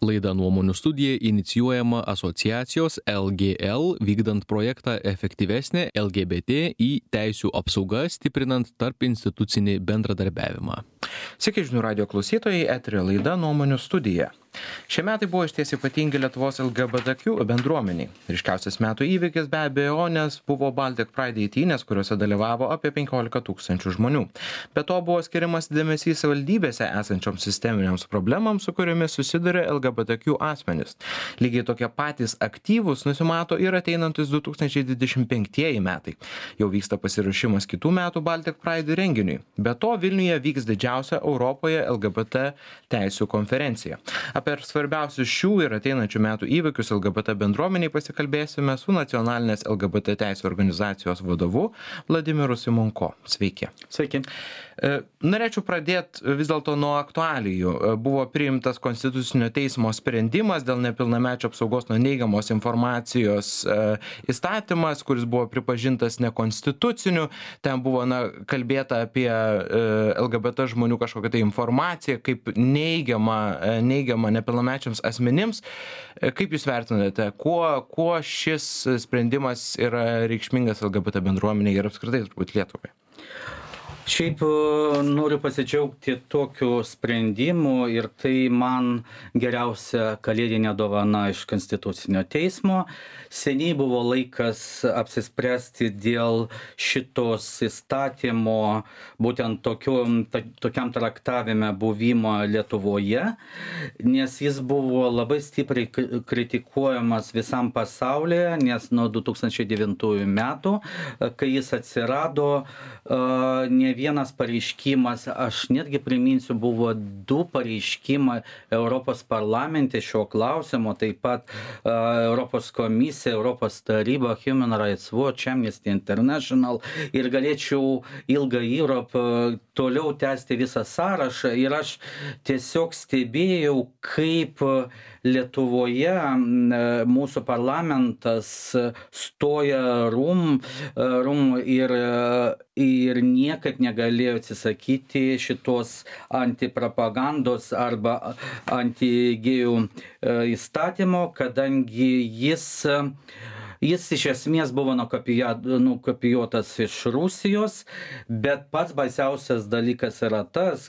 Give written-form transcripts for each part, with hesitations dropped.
Laida Nuomonių studija inicijuojama asociacijos LGL vykdant projektą efektyvesnė LGBT teisių apsauga stiprinant tarp institucinį bendradarbiavimą. Sveiki žinių radio klausytojai, eterio laida Nuomonių studija. Šie metai buvo išties ypatingi Lietuvos LGBTQ bendruomeniai. Ryškiausias metų įvykis be abejo, nes buvo Baltic Pride eitynės, kuriuose dalyvavo apie 15 000 žmonių. Be to buvo skiriamas dėmesys savivaldybėse esančioms sisteminėms problemams, su kuriomis susiduria LGBTQ asmenys. Lygiai tokie patys aktyvūs nusimato ir ateinantis 2025 metai. Jau vyksta pasiruošimas kitų metų Baltic Pride renginiui. Be to Vilniuje vyks didžiausia Europoje LGBT teisių konferencija. Apie svarbiausius šių ir ateinančių metų įvykius LGBT bendruomeniai pasikalbėsime su nacionalinės LGBT teisių organizacijos vadovu Vladimiru Simonko. Sveiki. Sveiki. Norėčiau pradėti vis dėlto nuo aktualijų. Buvo priimtas Konstitucinio teismo sprendimas dėl nepilnamečio apsaugos nuo neigiamos informacijos įstatymas, kuris buvo pripažintas nekonstituciniu. Ten buvo kalbėta apie LGBT žmonių kažkokią tai informaciją, kaip neigiama nepilnamečiams asmenims. Kaip Jūs vertinate, kuo šis sprendimas yra reikšmingas LGBT bendruomeniai ir apskritai turbūt Lietuvai? Šiaip noriu pasidžiaugti tokiu sprendimu ir tai man geriausia kalėdinė dovana iš Konstitucinio teismo. Seniai buvo laikas apsispręsti dėl šitos įstatymo, būtent tokiam traktavime buvimo Lietuvoje, nes jis buvo labai stipriai kritikuojamas visam pasaulyje, nes nuo 2009 metų, kai jis atsirado, ne vienas pareiškimas, aš netgi priminsiu, buvo 2 pareiškimai Europos parlamente šio klausimo, taip pat Europos komisija, Europos taryba, Human Rights Watch, Amnesty International ir galėčiau ilgą Europą toliau tęsti visą sąrašą ir aš tiesiog stebėjau, kaip Lietuvoje mūsų parlamentas stoja rum ir niekaip negalėjo atsisakyti šitos antipropagandos arba antigėjų įstatymo, kadangi jis iš esmės buvo nukopijuotas iš Rusijos, bet pats baisiausias dalykas yra tas,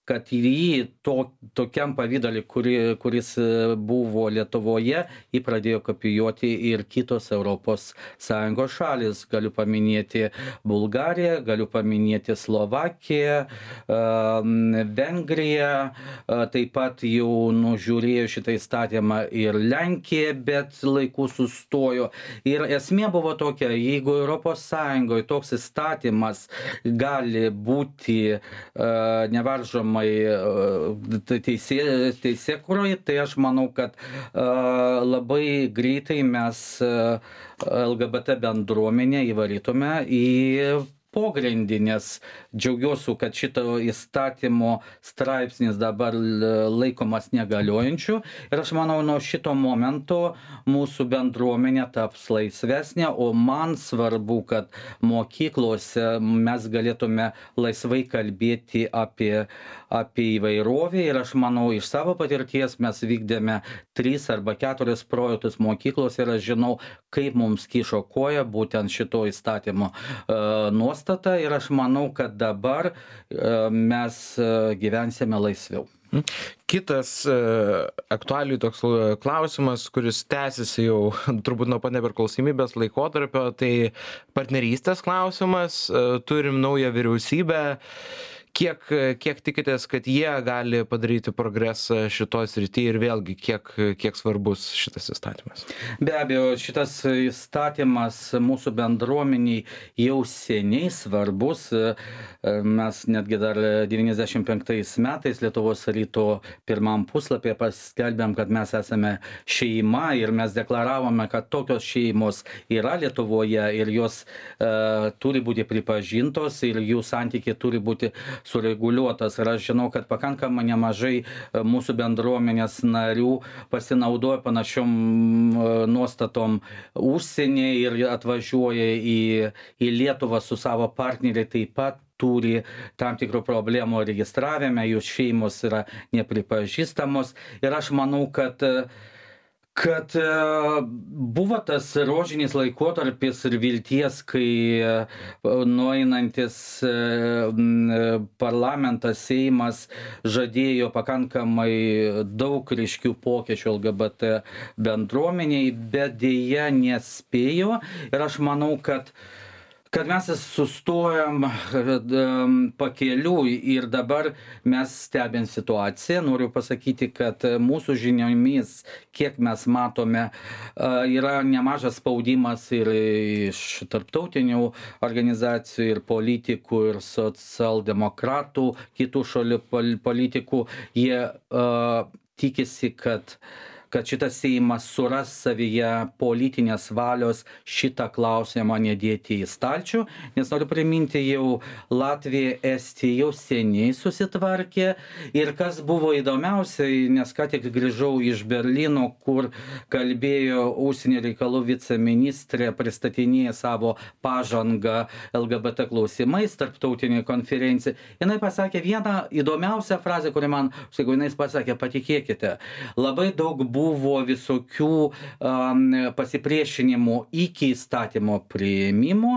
kad jį tokiam pavydalį, kuris buvo Lietuvoje, jį pradėjo kopijuoti ir kitos Europos Sąjungos šalis. Galiu paminėti Bulgariją, galiu paminėti Slovakiją, Vengriją, taip pat jau nužiūrėjo šitą įstatymą ir Lenkija, bet laiku sustojo. Ir esmė buvo tokia, jeigu Europos Sąjungoje toks įstatymas gali būti nevaržomai teisėkūroje, tai aš manau, kad labai greitai mes LGBT bendruomenę įvarytume į pogrindį, nes džiaugiuosi, kad šito įstatymo straipsnis dabar laikomas negaliojančiu ir aš manau, nuo šito momento mūsų bendruomenė taps laisvesnė, o man svarbu, kad mokyklose mes galėtume laisvai kalbėti apie įvairovę ir aš manau, iš savo patirties mes vykdėme 3 arba 4 projektus mokyklos ir aš žinau, kaip mums kišo koja būtent šito įstatymo nuostata ir aš manau, kad dabar mes gyvensime laisviau. Kitas aktualijų toks klausimas, kuris tęsiasi jau turbūt nuo pat nepriklausomybės laikotarpio, tai partnerystės klausimas. Turim naują vyriausybę. Kiek tikitės, kad jie gali padaryti progresą šitoj srity ir vėlgi kiek svarbus šitas įstatymas? Be abejo, šitas įstatymas mūsų bendruomeniai jau seniai svarbus. Mes netgi dar 95 metais Lietuvos ryto pirmam puslapyje paskelbėm, kad mes esame šeima ir mes deklaravome, kad tokios šeimos yra Lietuvoje ir jos turi būti pripažintos ir jų santykiai turi būti sureguliuotas. Ir aš žinau, kad pakankamai nemažai mūsų bendruomenės narių pasinaudoja panašiom nuostatom užsienyje ir atvažiuoja į Lietuvą su savo partneriai taip pat turi tam tikrų problemų registravime, jų šeimos yra nepripažįstamos ir aš manau, kad buvo tas rožinis laikotarpis ir vilties, kai nueinantis parlamentas, Seimas žadėjo pakankamai daug ryškių pokyčių LGBT bendruomeniai, bet dėja nespėjo ir aš manau, kad mes sustojam pakeliui ir dabar mes stebim situaciją. Noriu pasakyti, kad mūsų žiniomis, kiek mes matome, yra nemažas spaudimas ir iš tarptautinių organizacijų, ir politikų, ir socialdemokratų, kitų šalių politikų. Jie tikisi, kad šitas Seimas suras savyje politinės valios šitą klausimą nedėti į stalčių, nes noriu priminti, jau Latvija, Estija jau seniai susitvarkė ir kas buvo įdomiausiai, nes ką tik grįžau iš Berlyno, kur kalbėjo užsienio reikalų viceministrė, pristatinėja savo pažangą LGBT klausimais tarptautinėje konferencijoje. Jinai pasakė vieną įdomiausią frazę, kuri man, jinai pasakė, patikėkite, labai daug buvo visokių pasipriešinimų iki įstatymo priėmimo,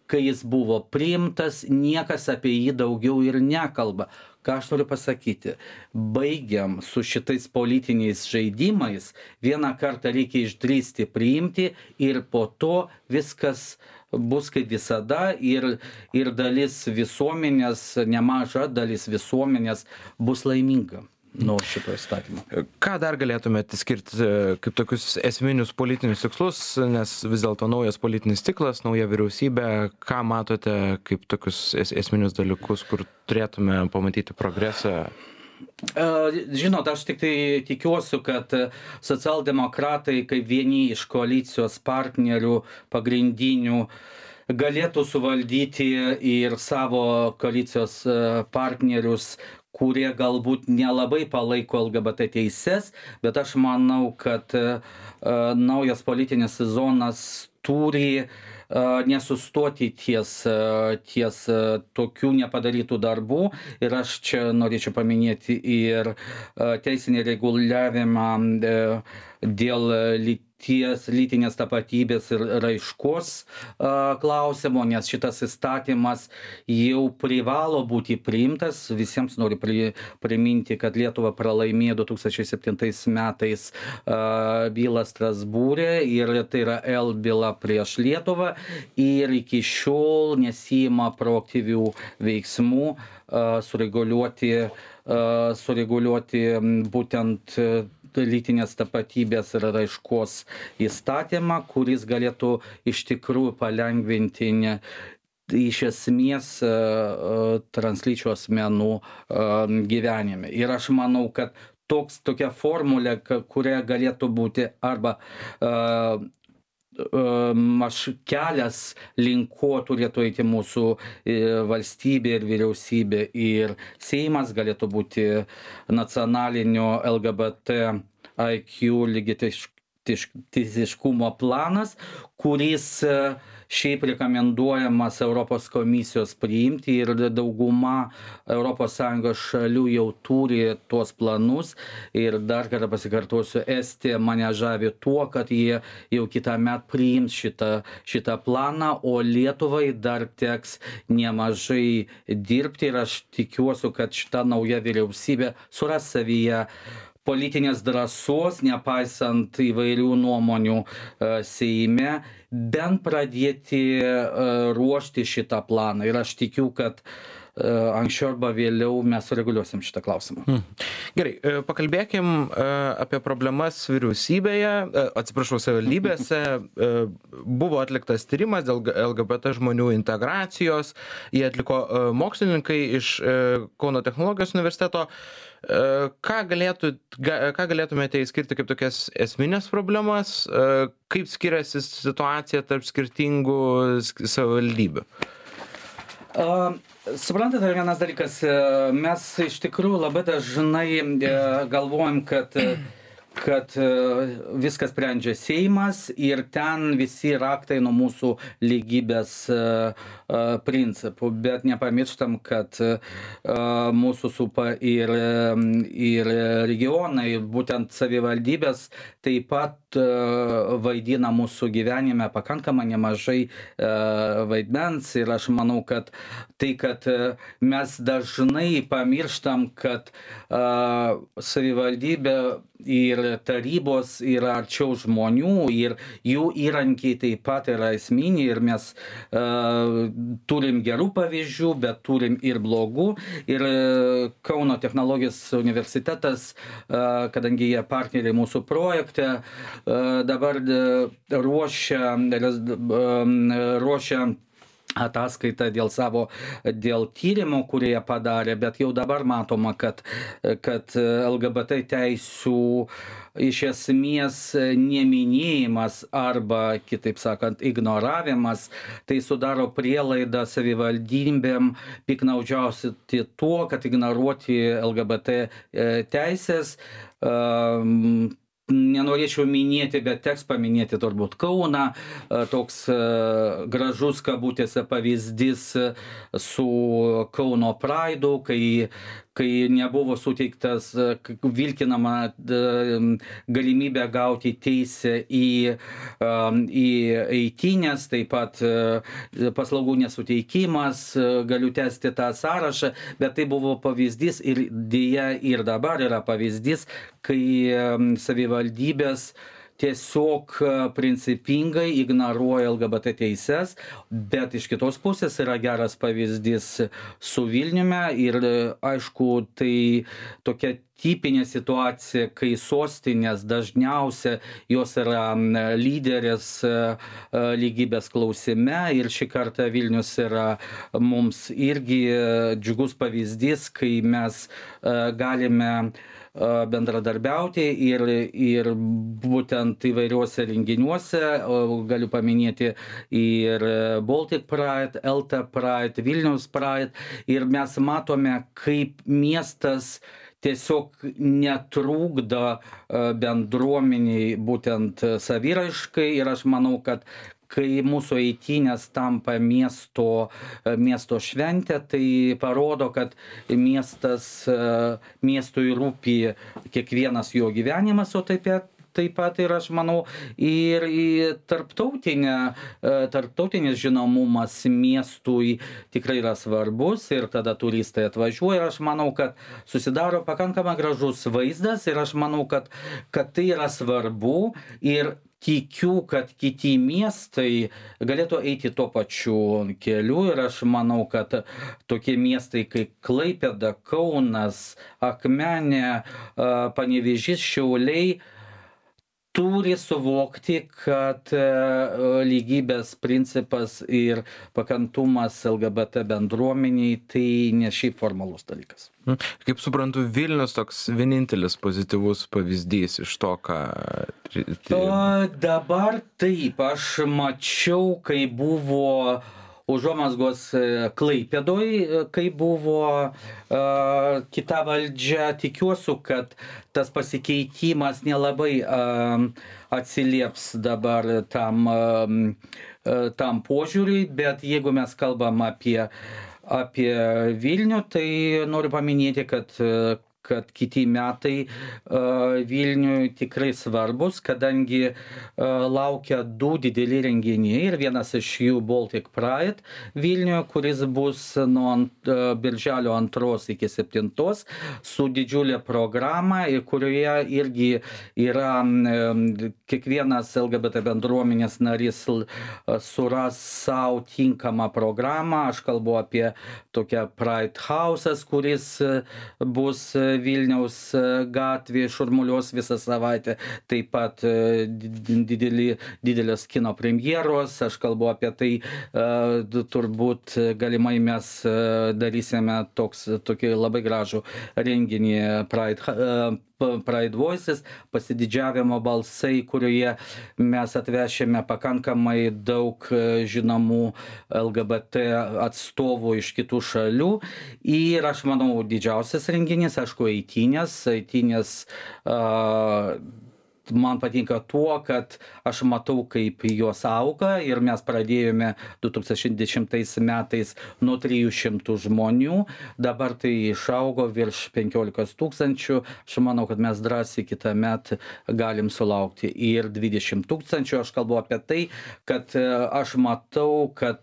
kai jis buvo priimtas, niekas apie jį daugiau ir nekalba. Ką aš noriu pasakyti? Baigiam su šitais politiniais žaidimais, vieną kartą reikia išdrįsti priimti ir po to viskas bus kaip visada ir dalis visuomenės, nemaža dalis visuomenės bus laiminga nuo šito įstatymo. Ką dar galėtumėte skirti kaip tokius esminius politinius tikslus, nes vis dėlto naujas politinis ciklas, nauja vyriausybė, ką matote kaip tokius esminius dalykus, kur turėtume pamatyti progresą? Žinot, aš tik tai tikiuosi, kad socialdemokratai kaip vieni iš koalicijos partnerių pagrindinių galėtų suvaldyti ir savo koalicijos partnerius, kurie galbūt nelabai palaiko LGBT teises, bet aš manau, kad naujas politinis sezonas turi nesustoti ties tokių nepadarytų darbų ir aš čia norėčiau paminėti ir teisinį reguliavimą dėl lytinės tapatybės ir raiškos klausimo, nes šitas įstatymas jau privalo būti priimtas. Visiems noriu priminti, kad Lietuva pralaimėjo 2007 metais bylą Strasbūre ir tai yra L byla prieš Lietuvą ir iki šiol nesijima proaktyvių veiksmų sureguliuoti būtent lytinės tapatybės ir raiškos įstatymą, kuris galėtų iš tikrųjų palengvinti iš esmės translyčių asmenų gyvenime. Ir aš manau, kad tokia formulė, kuria galėtų būti arba kelias link ko turėtų eiti mūsų valstybė ir vyriausybė ir Seimas, galėtų būti nacionalinio LGBT IQ lygiateisiškumo planas, kuris šiaip rekomenduojamas Europos komisijos priimti ir dauguma ES šalių jau turi tuos planus ir dar kartą pasikartosiu, Estija mane žavi tuo, kad jie jau kitąmet priims šitą planą, o Lietuvai dar teks nemažai dirbti ir aš tikiuosi, kad šita nauja vyriausybė suras savyje politinės drąsos, nepaisant įvairių nuomonių Seime, bent pradėti ruošti šitą planą. Ir aš tikiu, kad anksčiau arba vėliau mes sureguliuosim šitą klausimą. Gerai, pakalbėkim apie problemas vyriausybėje, savivaldybėse. Buvo atliktas tyrimas dėl LGBT žmonių integracijos. Jie atliko mokslininkai iš Kauno technologijos universiteto. Ką galėtumėte įskirti kaip tokias esminės problemas? Kaip skiriasi situacija tarp skirtingų savivaldybių? Suprantate, vienas dalykas, mes iš tikrųjų labai dažnai galvojam, kad kad viskas sprendžia Seimas ir ten visi raktai nuo mūsų lygybės principų, bet nepamirštam, kad mūsų supa ir regionai, būtent savivaldybės taip pat vaidina mūsų gyvenime pakankamai nemažai vaidmens ir aš manau, kad tai, kad mes dažnai pamirštam, kad savivaldybė ir tarybos yra arčiau žmonių ir jų įrankiai taip pat yra esminiai ir mes turim gerų pavyzdžių, bet turim ir blogų. Ir Kauno technologijos universitetas, kadangi jie partneriai mūsų projekte, dabar ruošia ataskaitą dėl tyrimo, kurie padarė, bet jau dabar matoma, kad LGBT teisių iš esmės neminėjimas arba, kitaip sakant, ignoravimas, tai sudaro prielaidą savivaldybėm piktnaudžiauti tuo, kad ignoruoti LGBT teisės. Nenorėčiau minėti, bet teks paminėti turbūt Kauną, toks gražus kabutėse pavyzdys su Kauno Praidu, kai nebuvo suteiktas vilkinama galimybė gauti teisę į eitynes, taip pat paslaugų nesuteikimas, galiu tęsti tą sąrašą, bet tai buvo pavyzdys ir deja ir dabar yra pavyzdys, kai savivaldybės tiesiog principingai ignoruoja LGBT teises, bet iš kitos pusės yra geras pavyzdys su Vilniumi ir aišku, tai tokia tipinė situacija, kai sostinės dažniausia jos yra lyderės lygybės klausime ir šį kartą Vilnius yra mums irgi džiugus pavyzdys, kai mes galime bendradarbiauti ir būtent įvairiuose renginiuose, galiu paminėti ir Baltic Pride, LT Pride, Vilnius Pride, ir mes matome, kaip miestas tiesiog netrukdo bendruomeniai būtent saviraiškai ir aš manau, kad kai mūsų eitynės tampa miesto šventė, tai parodo, kad miestui rūpi kiekvienas jo gyvenimas, o taip pat ir aš manau ir tarptautinis žinomumas miestui tikrai yra svarbus ir tada turistai atvažiuoja ir aš manau, kad susidaro pakankamai gražus vaizdas ir aš manau, kad tai yra svarbu ir tikiu, kad kiti miestai galėtų eiti tuo pačiu keliu ir aš manau, kad tokie miestai kaip Klaipėda, Kaunas, Akmenė, Panevėžys, Šiauliai turi suvokti, kad lygybės principas ir pakantumas LGBT bendruomeniai tai ne šiaip formalus dalykas. Kaip suprantu, Vilnius toks vienintelis pozityvus pavyzdys iš to, ką... Dabar taip, aš mačiau, kai buvo užuomazgos Klaipėdoj, kai buvo kita valdžia, tikiuosi, kad tas pasikeitimas nelabai atsilieps dabar tam požiūriui, bet jeigu mes kalbam apie Vilnių, tai noriu paminėti, kad kiti metai Vilniui tikrai svarbus, kadangi laukia du dideli renginiai ir vienas iš jų Baltic Pride Vilniuje, kuris bus nuo birželio 2 iki 7 su didžiulė programa, kurioje irgi yra kiekvienas LGBT bendruomenės narys suras savo tinkamą programą. Aš kalbu apie tokią Pride House'as, kuris bus Vilniaus gatvėje, šurmulios visą savaitę, taip pat didelės kino premjeros, aš kalbu apie tai, turbūt galimai mes darysime tokį labai gražų renginį Pride Voices, pasididžiavimo balsai, kurioje mes atvešėme pakankamai daug žinomų LGBT atstovų iš kitų šalių. Ir aš manau, didžiausias renginys, aišku, eitynės man patinka tuo, kad aš matau, kaip jos auga ir mes pradėjome 2010 metais nuo 300 žmonių, dabar tai išaugo virš 15 000, aš manau, kad mes drąsiai kitą metą galim sulaukti ir 20 000, aš kalbu apie tai, kad aš matau, kad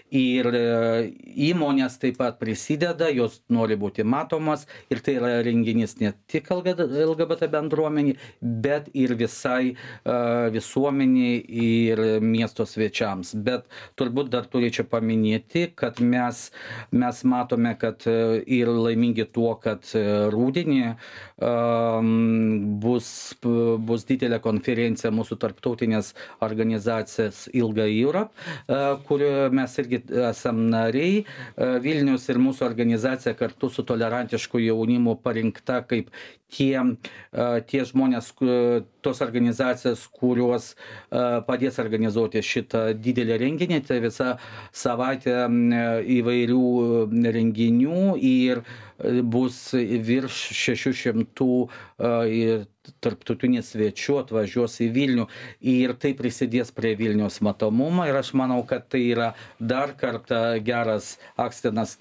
ir įmonės taip pat prisideda, jos nori būti matomas ir tai yra renginys ne tik LGBT bendruomenį, bet ir visai visuomeniai ir miesto svečiams. Bet turbūt dar turėčiau paminėti, kad mes matome, kad ir laimingi tuo, kad rudenį bus didelė konferencija mūsų tarptautinės organizacijos Ilga Europe, kurioje mes irgi esam nariai. Vilnius ir mūsų organizacija kartu su tolerantišku jaunimu parinkta kaip tie žmonės, tos organizacijos, kurios padės organizuoti šitą didelį renginį, tai visą savaitę įvairių renginių ir bus virš 600 tarptautinių svečių atvažiuos į Vilnių ir tai prisidės prie Vilniaus matomumo ir aš manau, kad tai yra dar kartą geras akstinas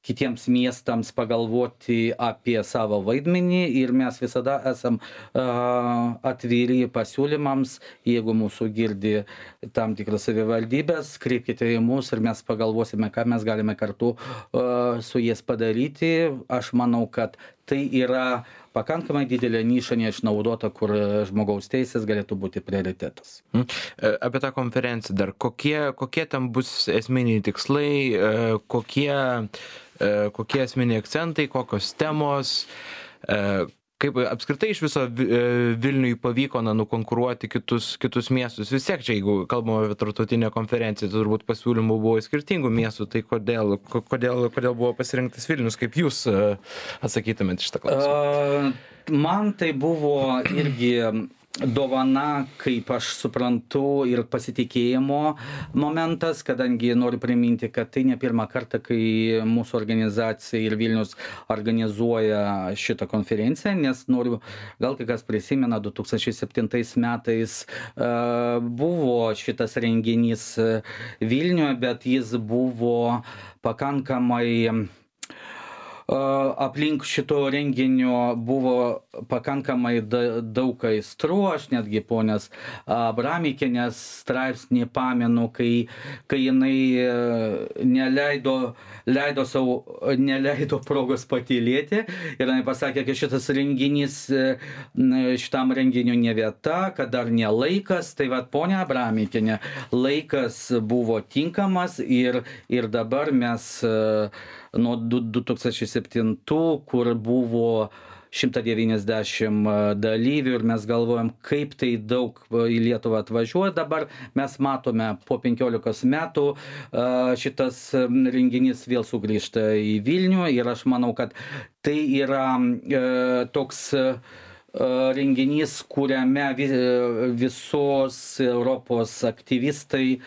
kitiems miestams pagalvoti apie savo vaidmenį ir mes visada esam atviri pasiūlymams, jeigu mūsų girdi tam tikras savivaldybės, kreipkite į mus ir mes pagalvosime, ką mes galime kartu su jais padaryti. Aš manau, kad tai yra pakankamai didelė niša neišnaudota, kur žmogaus teisės galėtų būti prioritetas. Apie tą konferenciją dar, kokie tam bus esminiai tikslai, kokie esminiai akcentai, kokios temos, kaip apskritai iš viso Vilniui pavyko nukonkuruoti kitus miestus. Vis tiek čia, jeigu kalbame apie tarptautinę konferenciją, tai turbūt pasiūlymų buvo skirtingų miestų, tai kodėl buvo pasirinktas Vilnius, kaip jūs atsakytumėte šitą klausimą? Man tai buvo irgi dovana, kaip aš suprantu, ir pasitikėjimo momentas, kadangi noriu priminti, kad tai ne pirmą kartą, kai mūsų organizacija ir Vilnius organizuoja šitą konferenciją, nes gal kai kas prisimena, 2007 metais buvo šitas renginys Vilniuje, bet jis buvo pakankamai aplink šito renginio buvo pakankamai daug aistrų, aš netgi ponios Abramikienės straipsnį pamenu, kai jinai neleido progos patylėti ir jinai pasakė, kad šitas renginys, šitam renginiu ne vieta, kad dar ne laikas, tai vat ponia Abramikienė, laikas buvo tinkamas ir dabar mes nuo 2007, kur buvo 190 dalyvių ir mes galvojam, kaip tai daug į Lietuvą atvažiuoja. Dabar mes matome po 15 metų šitas renginys vėl sugrįžta į Vilnių ir aš manau, kad tai yra toks renginys, kuriame visos Europos aktyvistai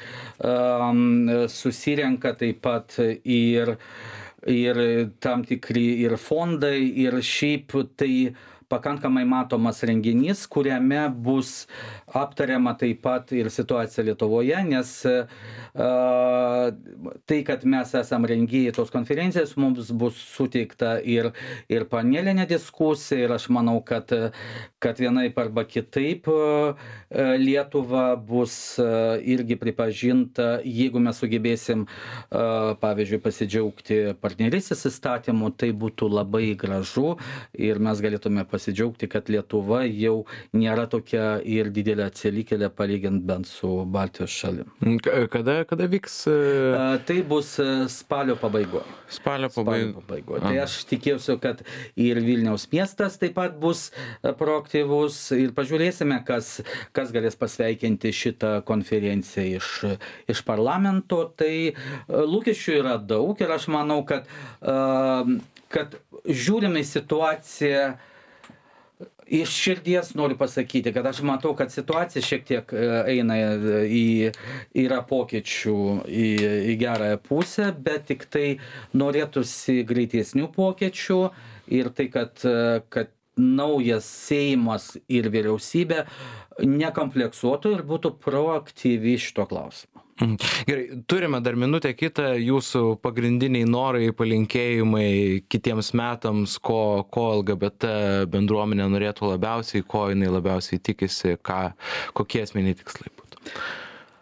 susirenka, taip pat ir tam tikri ir fondai, ir šiaip tai pakankamai matomas renginys, kuriame bus aptariama taip pat ir situacija Lietuvoje, nes tai, kad mes esam rengėjai tos konferencijos, mums bus suteikta ir panelinė diskusija ir aš manau, kad vienaip arba kitaip Lietuva bus irgi pripažinta, jeigu mes sugebėsim, pavyzdžiui, pasidžiaugti partnerystės įstatymu, tai būtų labai gražu ir mes galėtume pasidžiaugti, kad Lietuva jau nėra tokia ir didelė atsilikėlė palygint bent su Baltijos šalim. Kada vyks? Tai bus spalio pabaigoje. Spalio pabaigoje. Tai aš tikėsiu, kad ir Vilniaus miestas taip pat bus proaktyvus ir pažiūrėsime, kas galės pasveikinti šitą konferenciją iš parlamento. Tai lūkesčių yra daug ir aš manau, kad žiūrime į situaciją Iš širdies noriu pasakyti, kad aš matau, kad situacija šiek tiek eina yra pokyčių į gerąją pusę, bet tik tai norėtųsi greitesnių pokyčių ir tai, kad naujas Seimas ir vyriausybė nekompleksuotų ir būtų proaktyvi šito klausimo. Gerai, turime dar minutę kitą, jūsų pagrindiniai norai, palinkėjimai kitiems metams, ko LGBT bendruomenė norėtų labiausiai, ko jinai labiausiai tikisi, kokie esminiai tikslai būtų.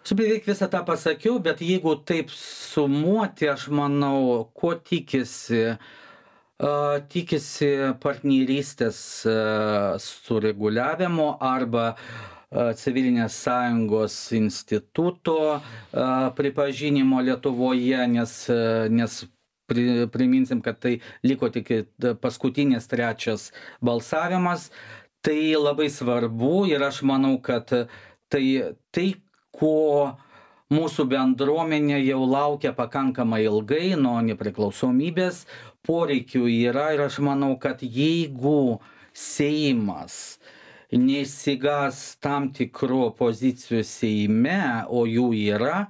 Aš beveik visą tą pasakiau, bet jeigu taip sumuoti, aš manau, ko tikisi partnerystės sureguliavimo arba civilinės sąjungos instituto pripažinimo Lietuvoje, nes priminsim, kad tai liko tik paskutinis trečias balsavimas. Tai labai svarbu ir aš manau, kad tai ko mūsų bendruomenė jau laukia pakankamai ilgai nuo nepriklausomybės, poreikių yra ir aš manau, kad jeigu Seimas neišsigas tam tikrų pozicijų Seime, o jų yra,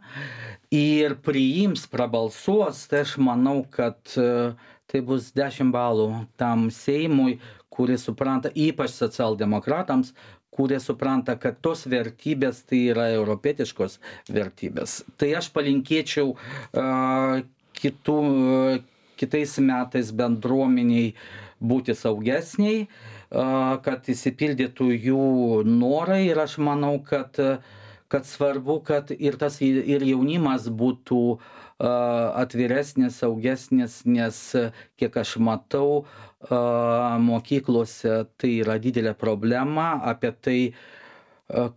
ir priims, prabalsuos, tai aš manau, kad tai bus 10 balų tam Seimui, kuris supranta, ypač socialdemokratams, kurie supranta, kad tos vertybės tai yra europietiškos vertybės. Tai aš palinkėčiau kitais metais bendruomeniai būti saugesniai, kad įsipildytų jų norai ir aš manau, kad svarbu, kad ir jaunimas būtų atviresnis, saugesnis, nes kiek aš matau, mokyklose tai yra didelė problema, apie tai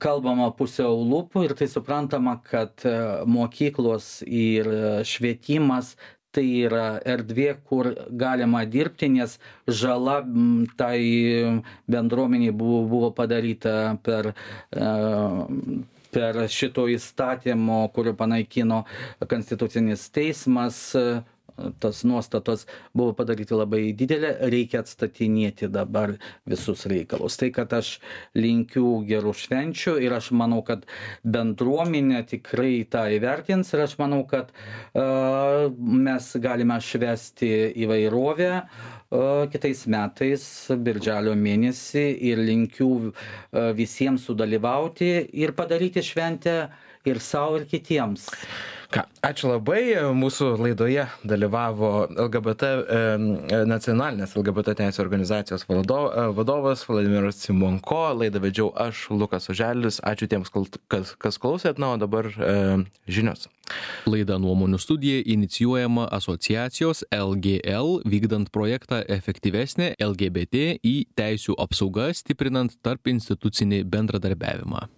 kalbama pusiau lūpų ir tai suprantama, kad mokyklos ir švietimas tai yra erdvė, kur galima dirbti, nes žala tai bendruomeniai buvo padaryta per šito įstatymo, kurio panaikino Konstitucinis teismas. Tos nuostatos buvo padaryti labai didelė, reikia atstatinėti dabar visus reikalus. Tai, kad aš linkiu gerų švenčių ir aš manau, kad bendruomenė tikrai tą įvertins ir aš manau, kad mes galime švęsti įvairovę kitais metais, birželio mėnesį ir linkiu visiems sudalyvauti ir padaryti šventę ir savo, ir kitiems. Ačiū labai. Mūsų laidoje dalyvavo nacionalinės LGBT teisės organizacijos vadovas Vladimiras Simonko. Laidą vedžiau aš, Lukas Oželis. Ačiū tiems, kas klausėt. O dabar žinios. Laida Nuomonių studija inicijuojama asociacijos LGL vykdant projektą Efektyvesnė LGBT teisių apsauga stiprinant tarp institucinį bendradarbiavimą.